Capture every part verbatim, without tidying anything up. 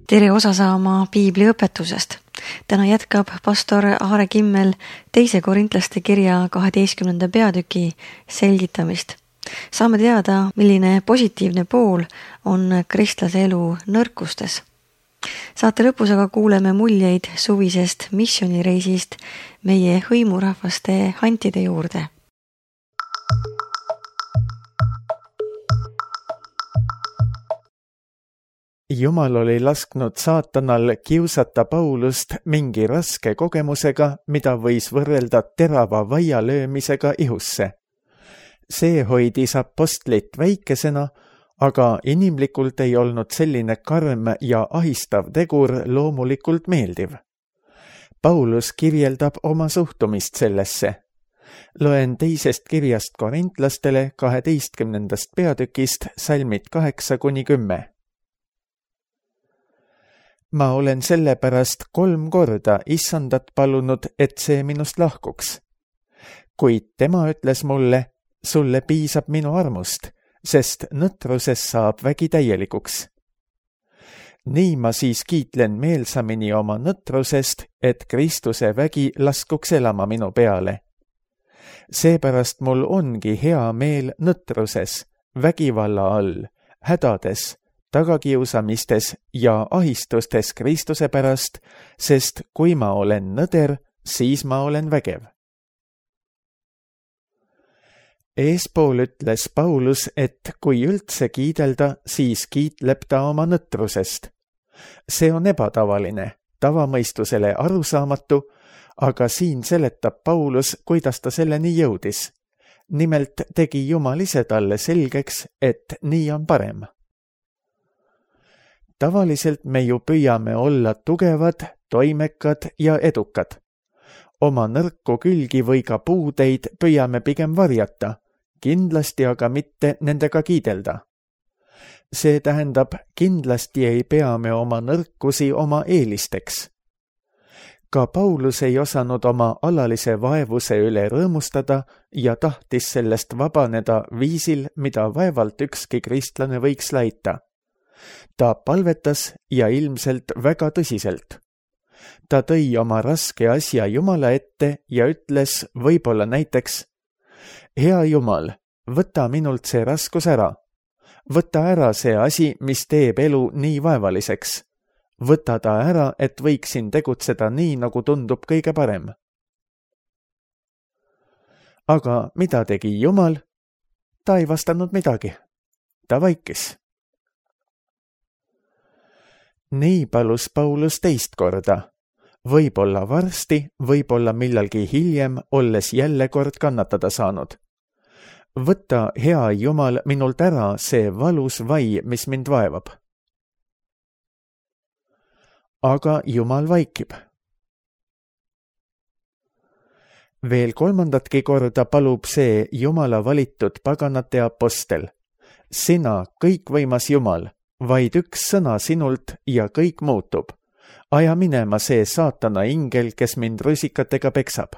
Tere osa saama piibliõpetusest. Täna jätkab pastor Aare Kimmel teise korintlaste kirja kaheteistkümnenda peatüki selgitamist. Saame teada, milline positiivne pool on kristlase elu nõrkustes. Saate lõpus aga kuuleme muljeid suvisest missioonireisist meie hõimurahvaste hantide juurde. Jumal oli lasknud saatanal kiusata Paulust mingi raske kogemusega, mida võis võrrelda terava vaia löömisega ihusse. See hoidis apostlit väikesena, aga inimlikult ei olnud selline karm ja ahistav tegur loomulikult meeldiv. Paulus kirjeldab oma suhtumist sellesse. Loen teisest kirjast korintlastele kaheteistkümnendast peatükist salmid kaheksa kuni kümme. Ma olen sellepärast kolm korda issandat palunud, et see minust lahkuks. Kuid tema ütles mulle, sulle piisab minu armust, sest nõtruses saab vägi täielikuks. Nii ma siis kiitlen meelsamini oma nõtrusest, et Kristuse vägi laskuks elama minu peale. Seepärast mul ongi hea meel nõtruses, vägivalla all, hädades, tagakiusamistes ja ahistustes Kristuse pärast, sest kui ma olen nõder, siis ma olen vägev. Eespool ütles Paulus, et kui üldse kiidelda, siis kiitleb ta oma nõtrusest. See on ebatavaline, tavamõistusele arusaamatu, aga siin seletab Paulus, kuidas ta selleni jõudis. Nimelt tegi Jumal ise talle selgeks, et nii on parem. Tavaliselt me ju püüame olla tugevad, toimekad ja edukad. Oma nõrku külgi või ka puudeid püüame pigem varjata, kindlasti aga mitte nendega kiidelda. See tähendab, kindlasti ei pea me oma nõrkusi oma eelisteks. Ka Paulus ei osanud oma alalise vaevuse üle rõõmustada ja tahtis sellest vabaneda viisil, mida vaevalt ükski kristlane võiks laita. Ta palvetas ja ilmselt väga tõsiselt. Ta tõi oma raske asja Jumala ette ja ütles võib-olla näiteks, hea Jumal, võta minult see raskus ära. Võta ära see asi, mis teeb elu nii vaevaliseks. Võta ta ära, et võiksin tegutseda nii, nagu tundub kõige parem. Aga mida tegi Jumal? Ta ei vastanud midagi. Ta vaikis. Nii palus Paulus teist korda. Võib-olla varsti, võib-olla millalgi hiljem, olles jälle kord kannatada saanud. Võta, hea Jumal, minult ära see valus vai, mis mind vaevab. Aga Jumal vaikib. Veel kolmandatki korda palub see Jumala valitud paganate apostel. Sina, kõikvõimas Jumal, vaid üks sõna sinult ja kõik muutub. Aja minema see saatana ingel, kes mind rusikatega peksab.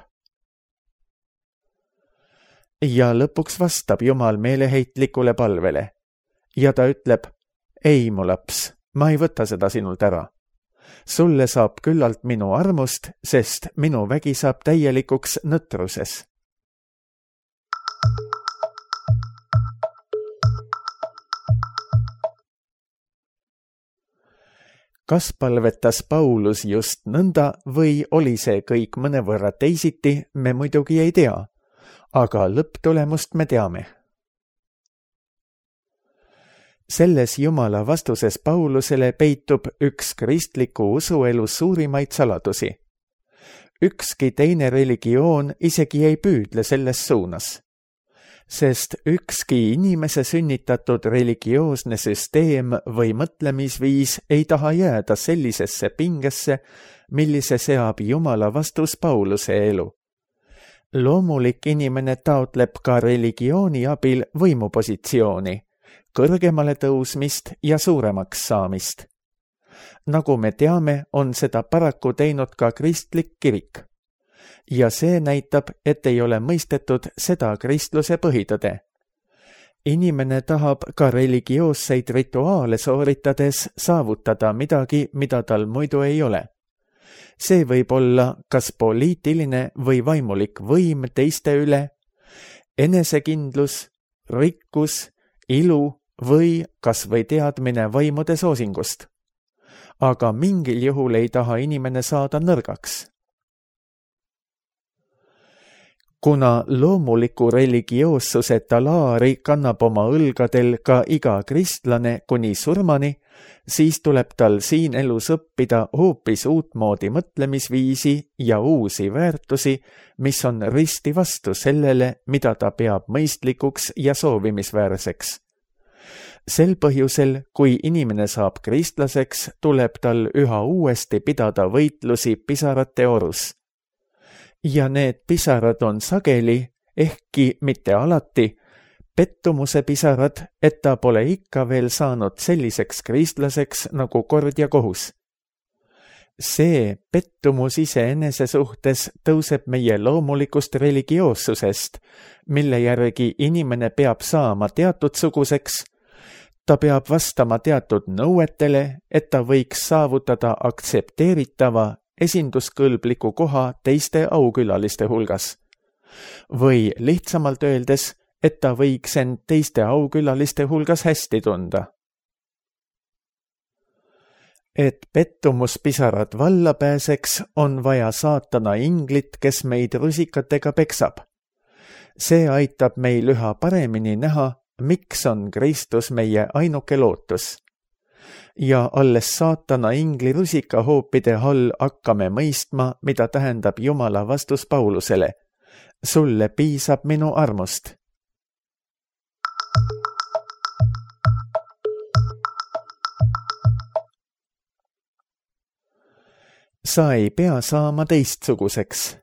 Ja lõpuks vastab Jumal meeleheitlikule palvele. Ja ta ütleb, ei mu laps, ma ei võta seda sinult ära. Sulle saab küllalt minu armust, sest minu vägi saab täielikuks nõtruses. Kas palvetas Paulus just nõnda või oli see kõik mõnevõrra teisiti, me muidugi ei tea, aga lõpptulemust me teame. Selles Jumala vastuses Paulusele peitub üks kristliku usuelu suurimaid saladusi. Ükski teine religioon isegi ei püüdle selles suunas. Sest ükski inimese sünnitatud religioosne süsteem või mõtlemisviis ei taha jääda sellisesse pingesse, millise seab Jumala vastus Pauluse elu. Loomulik inimene taotleb ka religiooni abil võimupositsiooni, kõrgemale tõusmist ja suuremaks saamist. Nagu me teame, on seda paraku teinud ka kristlik kirik. Ja see näitab, et ei ole mõistetud seda kristluse põhitõde. inimene tahab ka religioosseid rituaale sooritades saavutada midagi, mida tal muidu ei ole. See võib olla kas poliitiline või vaimulik võim teiste üle, enesekindlus, rikkus, ilu või kas või teadmine vaimude soosingust. Aga mingil juhul ei taha inimene saada nõrgaks. Kuna loomuliku religioossuse talaari kannab oma õlgadel ka iga kristlane kuni surmani, siis tuleb tal siin elus õppida hoopis uutmoodi mõtlemisviisi ja uusi väärtusi, mis on risti vastu sellele, mida ta peab mõistlikuks ja soovimisväärseks. Sel põhjusel, kui inimene saab kristlaseks, tuleb tal üha uuesti pidada võitlusi pisarate orus. Ja need pisarad on sageli, ehkki mitte alati, pettumuse pisarad, et ta pole ikka veel saanud selliseks kristlaseks nagu kord ja kohus. See pettumus iseenese suhtes tõuseb meie loomulikust religioossusest, mille järgi inimene peab saama teatud suguseks, ta peab vastama teatud nõuetele, et ta võiks saavutada aktsepteeritava esinduskõlbliku koha teiste aukülaliste hulgas. Või lihtsamalt öeldes, et ta võiks end teiste aukülaliste hulgas hästi tunda. Et pettumuspisarad valla pääseks, on vaja saatana inglit, kes meid rusikatega peksab. See aitab meil üha paremini näha, miks on Kristus meie ainuke lootus. Ja alles saatana ingli rusikahoopide all hakkame mõistma, mida tähendab Jumala vastus Paulusele. Sulle piisab minu armust. Sa ei pea saama teistsuguseks.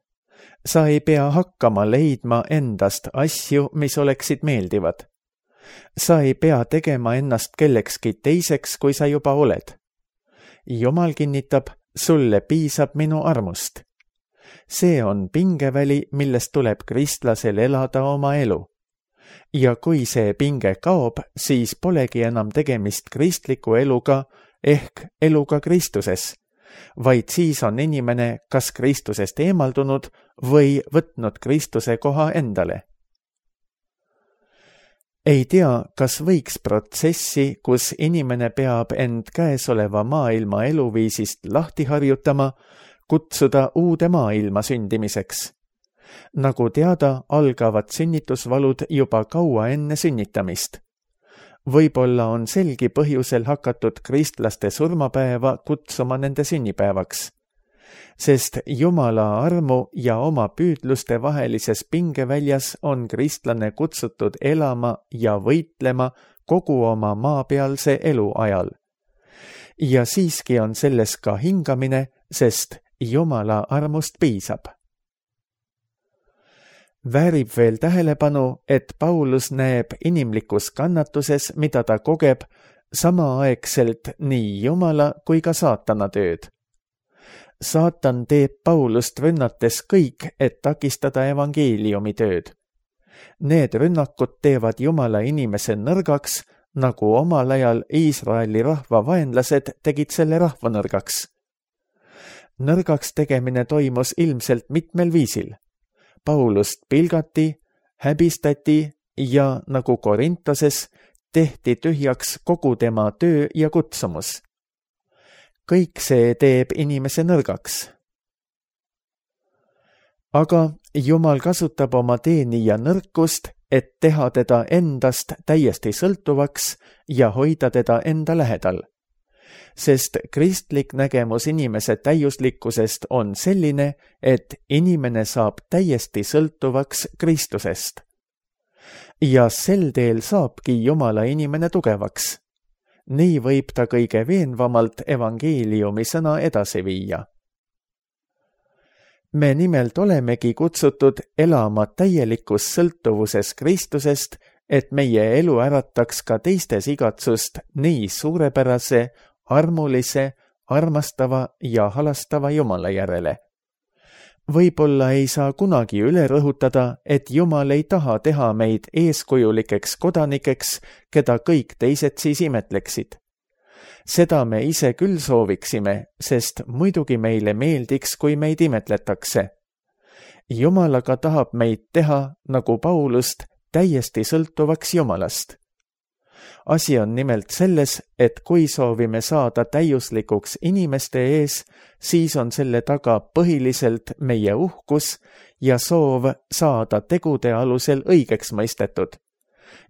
Sa ei pea hakkama leidma endast asju, mis oleksid meeldivad. Sa ei pea tegema ennast kellekski teiseks, kui sa juba oled. Jumal kinnitab, sulle piisab minu armust. See on pingeväli, millest tuleb kristlasel elada oma elu. Ja kui see pinge kaob, siis polegi enam tegemist kristliku eluga ehk eluga Kristuses, vaid siis on inimene kas Kristusest eemaldunud või võtnud Kristuse koha endale. Ei tea, kas võiks protsessi, kus inimene peab end käesoleva maailma eluviisist lahti harjutama, kutsuda uude maailma sündimiseks. Nagu teada, algavad sünnitusvalud juba kaua enne sünnitamist. Võib-olla on selgi põhjusel hakatud kristlaste surmapäeva kutsuma nende sünnipäevaks. Sest Jumala armu ja oma püüdluste vahelises pingeväljas on kristlane kutsutud elama ja võitlema kogu oma maapealse elu ajal. Ja siiski on selles ka hingamine, sest Jumala armust piisab. Väärib veel tähelepanu, et Paulus näeb inimlikus kannatuses, mida ta kogeb, samaaegselt nii Jumala kui ka saatana tööd. Saatan teeb Paulust rünnates kõik, et takistada evangeeliumi tööd. Need rünnakud teevad Jumala inimese nõrgaks, nagu omal ajal Iisraeli rahva vaenlased tegid selle rahva nõrgaks. Nõrgaks tegemine toimus ilmselt mitmel viisil. Paulust pilgati, häbistati ja nagu Korintoses tehti tühjaks kogu tema töö ja kutsumus. Kõik see teeb inimese nõrgaks. Aga Jumal kasutab oma teenija nõrkust, et teha teda endast täiesti sõltuvaks ja hoida teda enda lähedal. Sest kristlik nägemus inimese täiuslikkusest on selline, et inimene saab täiesti sõltuvaks Kristusest. Ja sel teel saabki Jumala inimene tugevaks. Nii võib ta kõige veenvamalt evangeeliumi sõna edasi viia. Me nimelt olemegi kutsutud elama täielikus sõltuvuses Kristusest, et meie elu ärataks ka teistes igatsust nii suurepärase, armulise, armastava ja halastava Jumala järele. võib-olla ei saa kunagi üle rõhutada, et Jumal ei taha teha meid eeskujulikeks kodanikeks, keda kõik teised siis imetleksid. Seda me ise küll sooviksime, sest muidugi meile meeldiks, kui meid imetletakse. Jumal aga tahab meid teha, nagu Paulust, täiesti sõltuvaks Jumalast. Asi on nimelt selles, et kui soovime saada täiuslikuks inimeste ees, siis on selle taga põhiliselt meie uhkus ja soov saada tegude alusel õigeks mõistetud.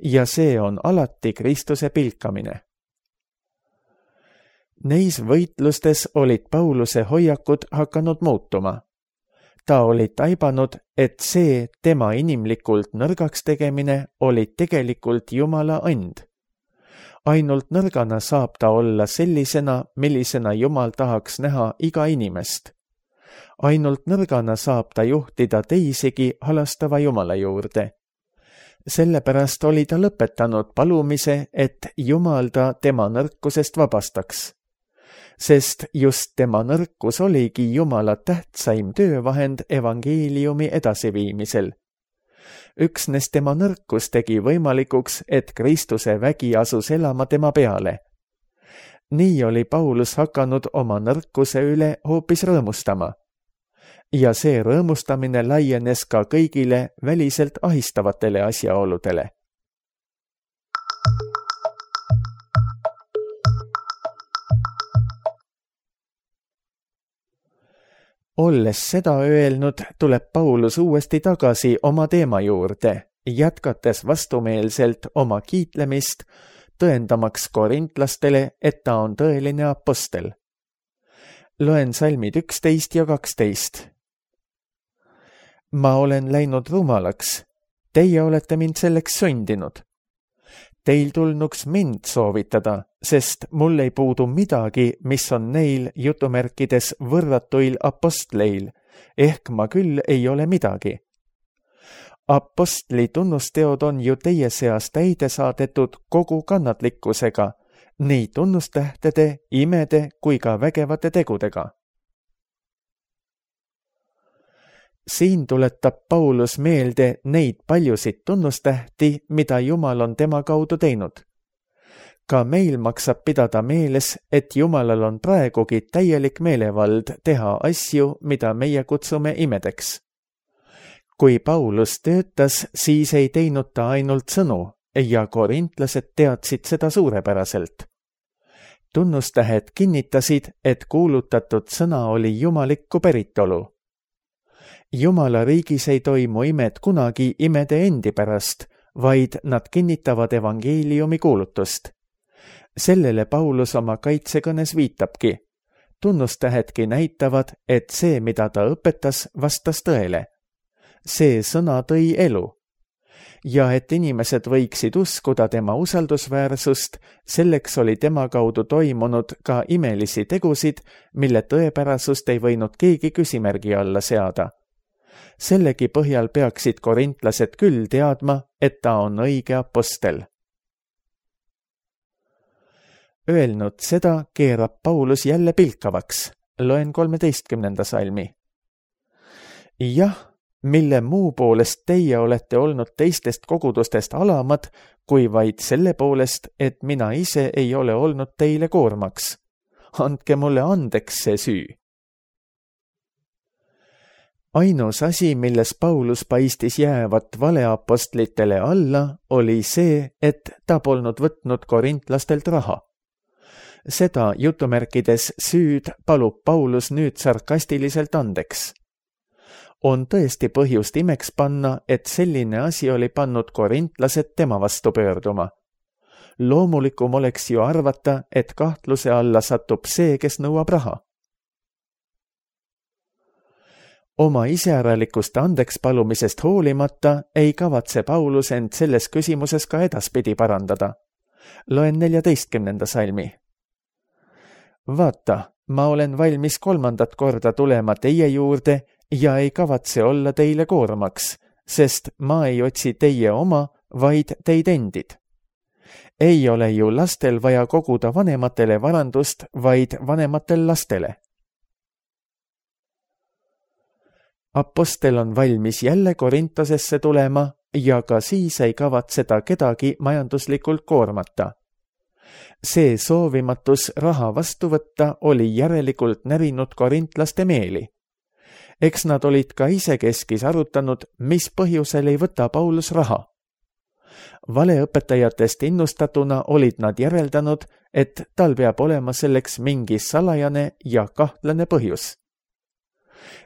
Ja see on alati Kristuse pilkamine. Neis võitlustes olid Pauluse hoiakud hakanud muutuma. Ta oli taibanud, et see tema inimlikult nõrgaks tegemine oli tegelikult Jumala and. Ainult nõrgana saab ta olla sellisena, millisena Jumal tahaks näha iga inimest. Ainult nõrgana saab ta juhtida teisigi halastava Jumala juurde. Sellepärast oli ta lõpetanud palumise, et Jumal ta tema nõrkusest vabastaks. Sest just tema nõrkus oligi Jumala tähtsaim töövahend evangeeliumi edasiviimisel. Üksnes tema nõrkus tegi võimalikuks, et Kristuse vägi asus elama tema peale. Nii oli Paulus hakanud oma nõrkuse üle hoopis rõõmustama. Ja see rõõmustamine laienes ka kõigile väliselt ahistavatele asjaoludele. Olles seda öelnud, tuleb Paulus uuesti tagasi oma teema juurde, jätkates vastumeelselt oma kiitlemist, tõendamaks korintlastele, et ta on tõeline apostel. Loen salmid üksteist ja kaksteist. Ma olen läinud rumalaks, teie olete mind selleks sundinud. Teil tulnuks mind soovitada, sest mul ei puudu midagi, mis on neil jutumärkides võrratuil apostleil, ehk ma küll ei ole midagi. Apostli tunnusteod on ju teie seas täide saadetud kogu kannatlikkusega, nii tunnustähtede, imede kui ka vägevate tegudega. Siin tuletab Paulus meelde neid paljusid tunnustähti, mida Jumal on tema kaudu teinud. Ka meil maksab pidada meeles, et Jumalal on praegugi täielik meelevald teha asju, mida meie kutsume imedeks. Kui Paulus töötas, siis ei teinud ta ainult sõnu ja korintlased teadsid seda suurepäraselt. Tunnustähed kinnitasid, et kuulutatud sõna oli jumalikku päritolu. Jumala riigis ei toimu imed kunagi imede endi pärast, vaid nad kinnitavad evangeeliumi kuulutust. Sellele Paulus oma kaitsekõnes viitabki. Tunnustähedki näitavad, et see, mida ta õpetas, vastas tõele. See sõna tõi elu. Ja et inimesed võiksid uskuda tema usaldusväärsust, selleks oli tema kaudu toimunud ka imelisi tegusid, mille tõepärasust ei võinud keegi küsimärgi alla seada. Sellegi põhjal peaksid korintlased küll teadma, et ta on õige apostel. Öelnud seda, keerab Paulus jälle pilkavaks. Loen kolmeteistkümnenda salmi. Jah, mille muu poolest teie olete olnud teistest kogudustest alamad, kui vaid selle poolest, et mina ise ei ole olnud teile koormaks. Andke mulle andeks see süü. Ainus asi, milles Paulus paistis jäävat valeapostlitele alla, oli see, et ta polnud võtnud korintlastelt raha. Seda jutumärkides süüd palub Paulus nüüd sarkastiliselt andeks. On tõesti põhjust imeks panna, et selline asi oli pannud korintlased tema vastu pöörduma. Loomulikum oleks ju arvata, et kahtluse alla satub see, kes nõuab raha. Oma iseäralikust andeks palumisest hoolimata ei kavatse Paulus end selles küsimuses ka edaspidi parandada. Loen neljateistkümnenda salmi. Vaata, ma olen valmis kolmandat korda tulema teie juurde ja ei kavatse olla teile koormaks, sest ma ei otsi teie oma, vaid teid endid. Ei ole ju lastel vaja koguda vanematele varandust, vaid vanematel lastele. Apostel on valmis jälle Korintosesse tulema ja ka siis ei kavatseda kedagi majanduslikult koormata. See soovimatus raha vastu võtta oli järelikult närinud korintlaste meeli. Eks nad olid ka isekeskis arutanud, mis põhjusel ei võta Paulus raha. Valeõpetajatest innustatuna olid nad järeldanud, et tal peab olema selleks mingi salajane ja kahtlane põhjus.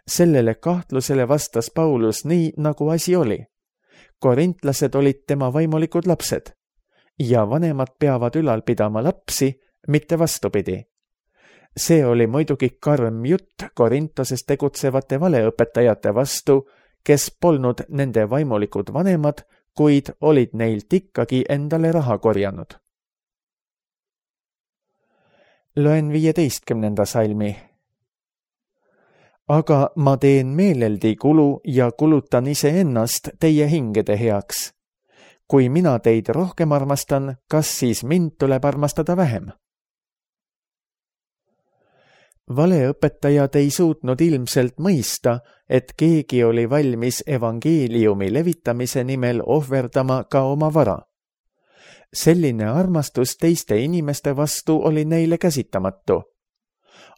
Sellele kahtlusele vastas Paulus nii, nagu asi oli. Korintlased olid tema vaimulikud lapsed ja vanemad peavad ülal pidama lapsi, mitte vastupidi. See oli muidugi karm jutt Korintoses tegutsevate valeõpetajate vastu, kes polnud nende vaimulikud vanemad, kuid olid neilt ikkagi endale raha korjanud. Loen viieteistkümnenda salmi. Aga ma teen meeleldi kulu ja kulutan iseennast teie hingede heaks. Kui mina teid rohkem armastan, kas siis mind tuleb armastada vähem? Valeõpetajad ei suutnud ilmselt mõista, et keegi oli valmis evangeeliumi levitamise nimel ohverdama ka oma vara. Selline armastus teiste inimeste vastu oli neile käsitamatu.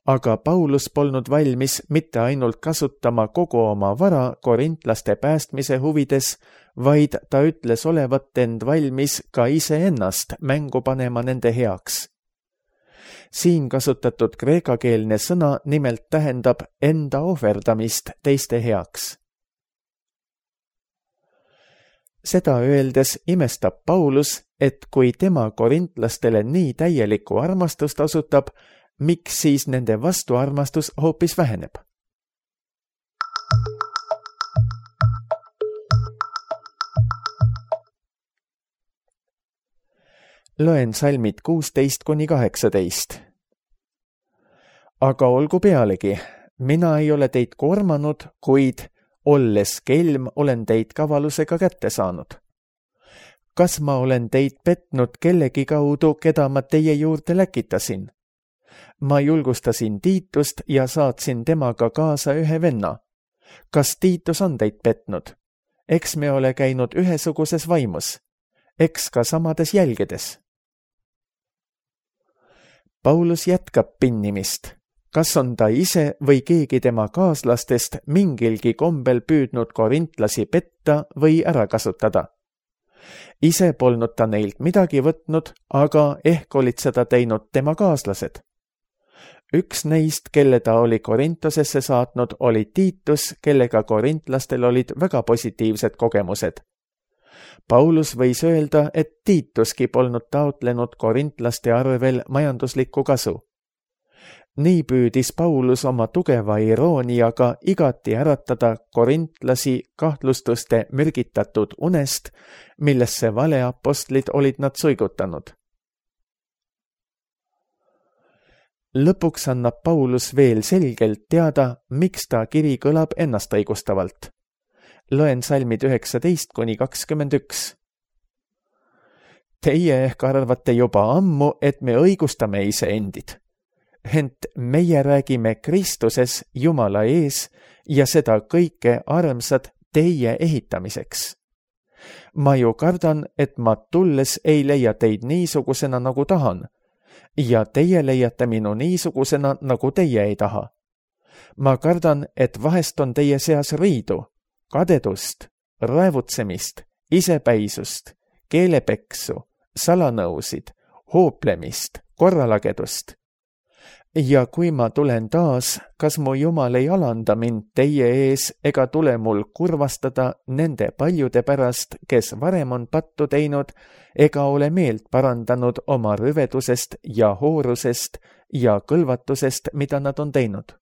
Aga Paulus polnud valmis mitte ainult kasutama kogu oma vara korintlaste päästmise huvides, vaid ta ütles olevat end valmis ka iseennast mängu panema nende heaks. Siin kasutatud kreekakeelne sõna nimelt tähendab enda ohverdamist teiste heaks. Seda öeldes imestab Paulus, et kui tema korintlastele nii täielikku armastust osutab, miks siis nende vastuarmastus hoopis väheneb? Loen salmid kuusteist kuni kaheksateist. Aga olgu pealegi, mina ei ole teid koormanud, kuid olles kelm olen teid kavalusega kätte saanud. Kas ma olen teid petnud kellegi kaudu, keda ma teie juurde läkitasin? Ma julgustasin Tiitust ja saatsin temaga kaasa ühe venna. Kas Tiitus on teid petnud? Eks me ole käinud ühesuguses vaimus. Eks ka samades jälgedes. Paulus jätkab pinnimist. Kas on ta ise või keegi tema kaaslastest mingilgi kombel püüdnud korintlasi petta või ära kasutada? Ise polnud ta neilt midagi võtnud, aga ehk olid seda teinud tema kaaslased. Üks neist, kelle ta oli Korintosesse saatnud, oli Tiitus, kellega korintlastel olid väga positiivsed kogemused. Paulus võis öelda, et Tiituski polnud taotlenud korintlaste arvel majanduslikku kasu. Nii püüdis Paulus oma tugeva irooniaga igati äratada korintlasi kahtlustuste mürgitatud unest, millesse valeapostlid olid nad suigutanud. Lõpuks annab Paulus veel selgelt teada, miks ta kiri kõlab ennast õigustavalt. Loen salmid üheksateist kuni kakskümmend üks. Teie ehk arvate juba ammu, et me õigustame iseendid. Ent meie räägime Kristuses Jumala ees ja seda kõike armsad teie ehitamiseks. Ma ju kardan, et ma tulles ei leia teid niisugusena, nagu tahan, ja teie leiate minu niisugusena, nagu teie ei taha. Ma kardan, et vahest on teie seas riidu, kadedust, raevutsemist, isepäisust, keelepeksu, salanõusid, hooplemist, korralagedust. Ja kui ma tulen taas, kas mu Jumal ei alanda mind teie ees ega tule mul kurvastada nende paljude pärast, kes varem on pattu teinud, ega ole meelt parandanud oma rüvedusest ja hoorusest ja kõlvatusest, mida nad on teinud.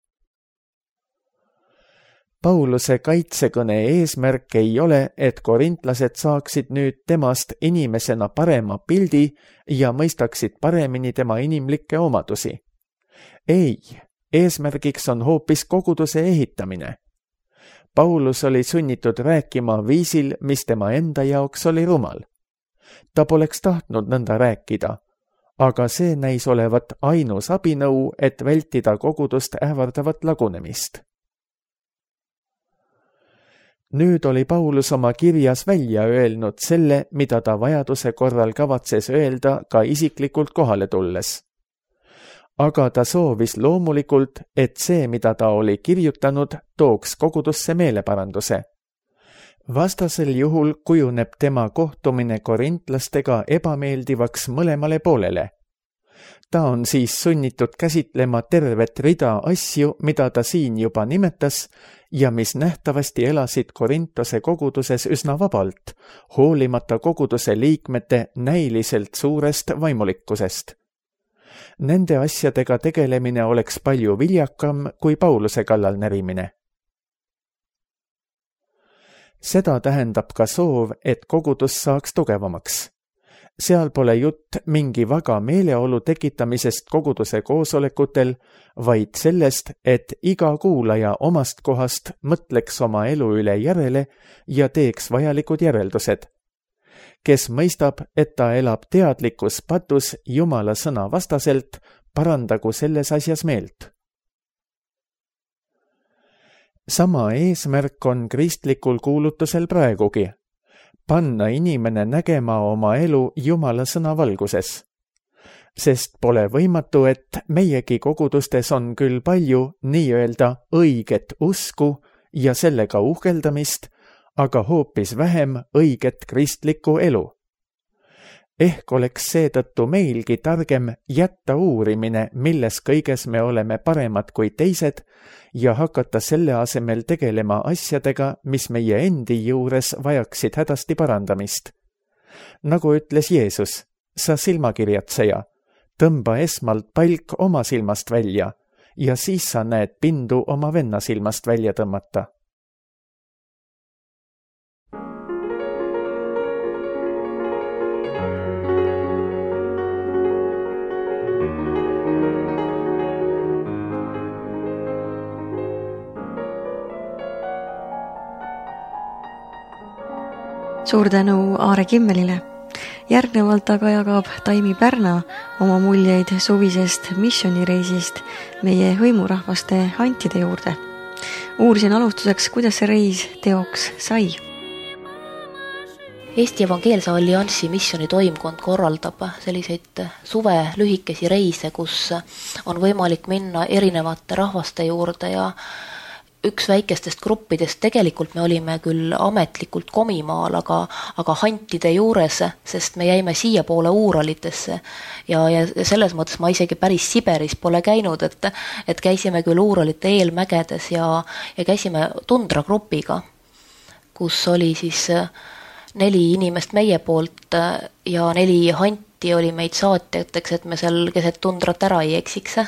Pauluse kaitsekõne eesmärk ei ole, et korintlased saaksid nüüd temast inimesena parema pildi ja mõistaksid paremini tema inimlikke omadusi. Ei, eesmärgiks on hoopis koguduse ehitamine. Paulus oli sunnitud rääkima viisil, mis tema enda jaoks oli rumal. Ta poleks tahtnud nõnda rääkida, aga see näis olevat ainus abinõu, et vältida kogudust ähvardavat lagunemist. Nüüd oli Paulus oma kirjas välja öelnud selle, mida ta vajaduse korral kavatses öelda ka isiklikult kohale tulles. Aga ta soovis loomulikult, et see, mida ta oli kirjutanud, tooks kogudusse meeleparanduse. Vastasel juhul kujuneb tema kohtumine korintlastega ebameeldivaks mõlemale poolele. Ta on siis sunnitud käsitlema tervet rida asju, mida ta siin juba nimetas ja mis nähtavasti elasid Korintose koguduses üsna vabalt, hoolimata koguduse liikmete näiliselt suurest vaimulikkusest. Nende asjadega tegelemine oleks palju viljakam kui Pauluse kallal närimine. Seda tähendab ka soov, et kogudus saaks tugevamaks. Seal pole jutt mingi väga meeleolu tekitamisest koguduse koosolekutel, vaid sellest, et iga kuulaja omast kohast mõtleks oma elu üle järele ja teeks vajalikud järeldused. Kes mõistab, et ta elab teadlikus patus Jumala sõna vastaselt, parandagu selles asjas meelt. Sama eesmärk on kristlikul kuulutusel praegugi. Panna inimene nägema oma elu Jumala sõna valguses. Sest pole võimatu, et meiegi kogudustes on küll palju nii-öelda õiget usku ja sellega uhkeldamist, aga hoopis vähem õiget kristlikku elu. Ehk oleks seetõttu meilgi targem jätta uurimine, milles kõiges me oleme paremad kui teised, ja hakata selle asemel tegelema asjadega, mis meie endi juures vajaksid hädasti parandamist. Nagu ütles Jeesus, sa silmakirjatseja, tõmba esmalt palk oma silmast välja ja siis sa näed pindu oma venna silmast välja tõmmata. Suur tänu Aare Kimmelile. Järgnevalt aga jagab Taimi Pärna oma muljeid suvisest missioonireisist meie hõimurahvaste hantide juurde. Uurisin alustuseks, kuidas see reis teoks sai. Eesti Evangeelse Alliansi missiooni toimkond korraldab selliseid suve lühikesi reise, kus on võimalik minna erinevate rahvaste juurde ja üks väikestest gruppidest, tegelikult me olime küll ametlikult Komimaal, aga, aga hantide juures, sest me jäime siia poole Uuralitesse ja, ja selles mõttes ma isegi päris Siberis pole käinud, et, et käisime küll Uuralite eelmägedes ja, ja käisime tundragrupiga, kus oli siis neli inimest meie poolt ja neli hanti oli meid saatjateks, et me seal keset tundrat ära ei eksiks.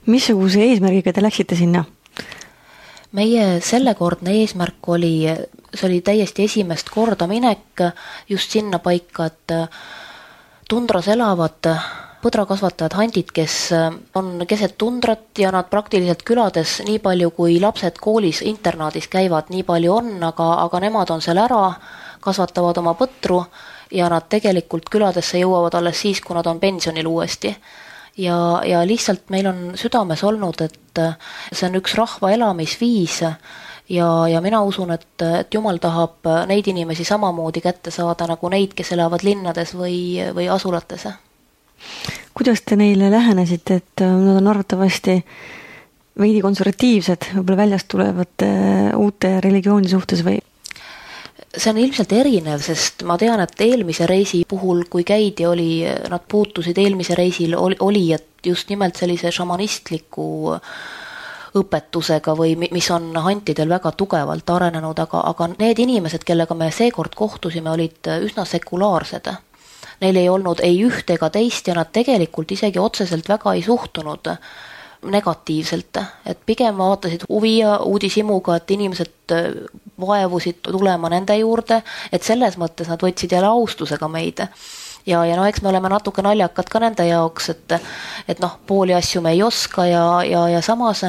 Missuguse eesmärgiga te läksite sinna? Meie sellekordne eesmärk oli, see oli täiesti esimest korda minek just sinna paika, et tundras elavad põdrakasvatajad handid, kes on keset tundrat ja nad praktiliselt külades nii palju, kui lapsed koolis internaadis käivad, nii palju on, aga, aga nemad on seal ära, kasvatavad oma põtru ja nad tegelikult küladesse jõuavad alles siis, kui nad on pensionil uuesti. Ja, ja lihtsalt meil on südames olnud, et see on üks rahva elamisviis ja, ja mina usun, et, et Jumal tahab neid inimesi samamoodi kätte saada nagu neid, kes elavad linnades või, või asulates. Kuidas te neile lähenesite, et nad on arvatavasti veidi konservatiivsed, võib-olla väljast tulevate uute religiooni suhtes või? See on ilmselt erinev, sest ma tean, et eelmise reisi puhul, kui käidi, oli, nad puutusid eelmise reisil, oli, oli et just nimelt sellise šamanistliku õpetusega või mis on hantidel väga tugevalt arenenud, aga, aga need inimesed, kellega me seekord kohtusime, olid üsna sekulaarsed. Neil ei olnud ei üht ega teist ja nad tegelikult isegi otseselt väga ei suhtunud negatiivselt, et pigem vaatasid huvi ja uudishimuga, et inimesed vaevusid tulema nende juurde, et selles mõttes nad võtsid jälle austusega meid. Ja, ja no eks me oleme natuke naljakad ka nende jaoks, et, et noh, pooli asju me ei oska ja, ja, ja samas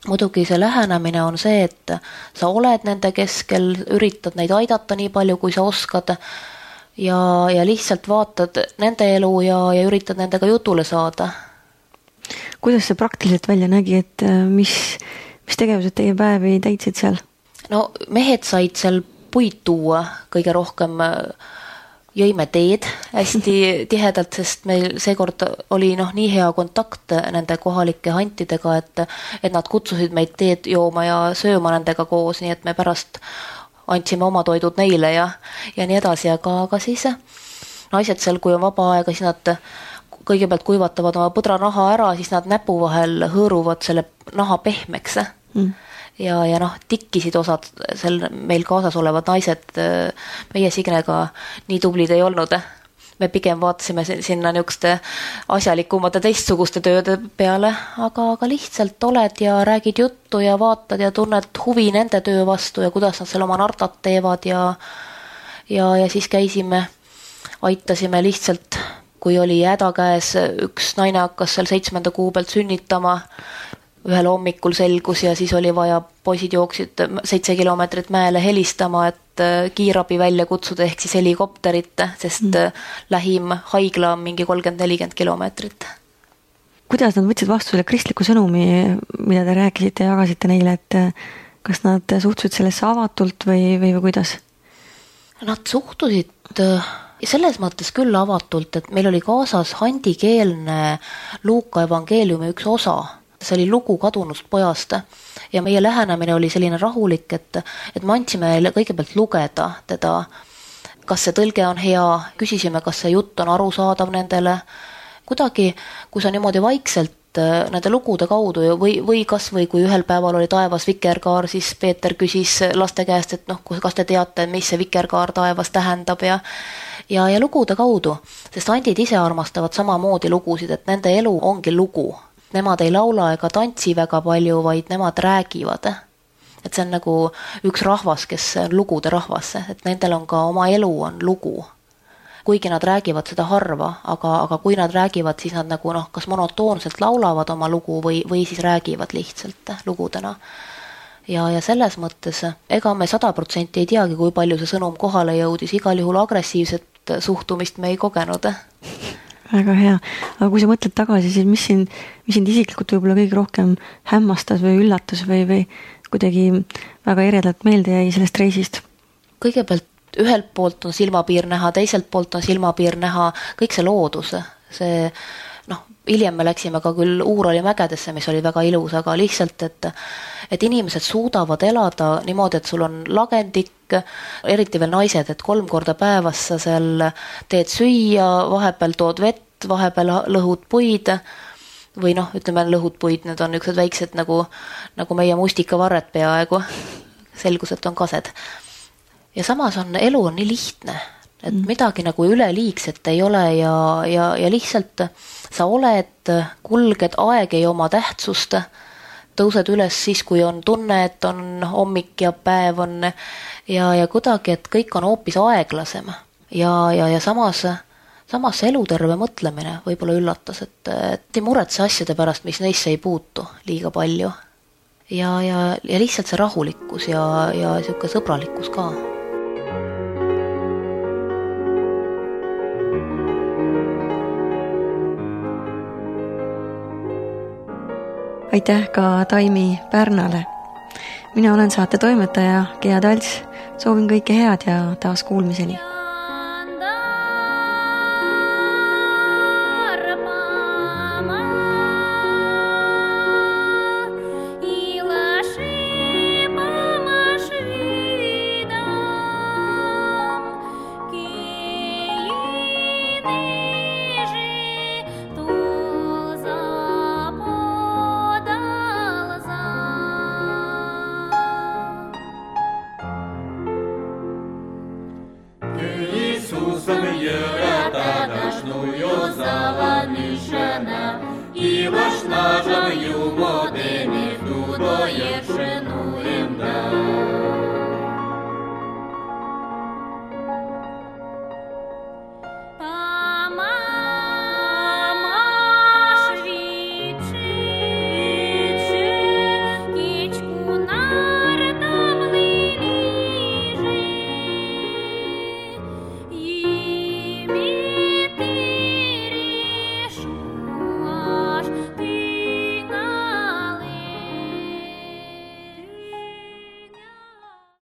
muidugi see lähenemine on see, et sa oled nende keskel, üritad neid aidata nii palju, kui sa oskad ja, ja lihtsalt vaatad nende elu ja, ja üritad nendega jutule saada. Kuidas see praktiliselt välja nägi, et mis, mis tegevused teie päevi täitsid seal? no mehed said seal puid tuua kõige rohkem, jõime teed hästi tihedalt, sest meil seekord oli noh, nii hea kontakt nende kohalike hantidega, et, et nad kutsusid meid teed jooma ja sööma nendega koos, nii et me pärast andsime oma toidud neile ja, ja nii edasi, aga, aga siis naised seal, kui on vaba aega, siis nad kõigepealt kuivatavad oma põdranaha ära, siis nad näpu vahel hõõruvad selle naha pehmeks mm. ja, ja noh, tikkisid osad seal meil kaasas olevad naised, meie Signega nii tublid ei olnud. Me pigem vaatasime sinna niisuguste asjalikumate teistsuguste tööde peale, aga, aga lihtsalt oled ja räägid juttu ja vaatad ja tunned huvi nende töö vastu ja kuidas nad seal oma nartat teevad ja, ja, ja siis käisime, aitasime lihtsalt, kui oli häda käes, üks naine hakkas seal seitsmenda kuu pealt sünnitama, ühel hommikul selgus ja siis oli vaja, poisid jooksid seitse kilomeetrit mäele helistama, et kiirabi välja kutsuda ehk siis helikopterit, sest mm. lähim haigla on mingi kolmkümmend nelikümmend kilomeetrit. Kuidas nad võtsid vastu selle kristliku sõnumi, mida te rääkisite ja jagasite neile, et kas nad suhtusid sellesse avatult või, või, või kuidas? Nad suhtusid selles mõttes küll avatult, et meil oli kaasas handikeelne Luuka evangeeliumi üks osa. See oli lugu kadunust pojast ja meie lähenemine oli selline rahulik, et, et me andsime kõigepealt lugeda teda, kas see tõlge on hea, küsisime, kas see jutt on arusaadav nendele. Kuidagi, kui sa niimoodi vaikselt nende lugude kaudu või, või kas või kui ühel päeval oli taevas vikerkaar, siis Peeter küsis laste käest, et noh, kas te teate, mis see vikerkaar taevas tähendab ja Ja, ja lugude kaudu, sest andid ise armastavad samamoodi lugusid, et nende elu ongi lugu. Nemad ei laula ega tantsi väga palju, vaid nemad räägivad. Et see on nagu üks rahvas, kes on lugude rahvas, et nendel on ka oma elu on lugu. Kuigi nad räägivad seda harva, aga, aga kui nad räägivad, siis nad nagu noh, kas monotoonselt laulavad oma lugu või, või siis räägivad lihtsalt lugudena. Ja, ja selles mõttes, ega me sada protsenti ei teagi, kui palju see sõnum kohale jõudis, igal juhul agressiivset suhtumist me ei kogenud. Väga hea. Aga kui sa mõtled tagasi, siis mis sind, mis sind isiklikult võib-olla kõige rohkem hämmastas või üllatus või, või kuidagi väga eredalt meelde jäi sellest reisist? Kõigepealt ühelt poolt on silmapiir näha, teiselt poolt on silmapiir näha, kõik see loodus, see noh, hiljem me läksime ka küll Uurali mägedesse, mis oli väga ilus, aga lihtsalt, et, et inimesed suudavad elada niimoodi, et sul on lagendik, eriti veel naised, et kolm korda päevas sa seal teed süüa, vahepeal tood vett, vahepeal lõhud puid või noh, ütleme lõhud puid, need on niisugused väiksed nagu, nagu meie mustikavarred peaaegu, selgus, et on kased. Ja samas on elu on nii lihtne, et mm. midagi nagu üleliigset ei ole ja, ja, ja lihtsalt sa oled, kulged, aeg ei oma tähtsust, tõused üles siis, kui on tunne, et on hommik ja päev on ja, ja kuidagi, et kõik on hoopis aeglasem ja, ja, ja samas, samas eluterve mõtlemine võib-olla üllatas, et, et ei muretse asjade pärast, mis neisse ei puutu liiga palju ja, ja, ja lihtsalt see rahulikkus ja, ja siuke sõbralikkus ka. Aitäh ka Taimi Pärnale. Mina olen saate toimetaja Gea Talts. Soovin kõike head ja taas kuulmiseni. И вошла же в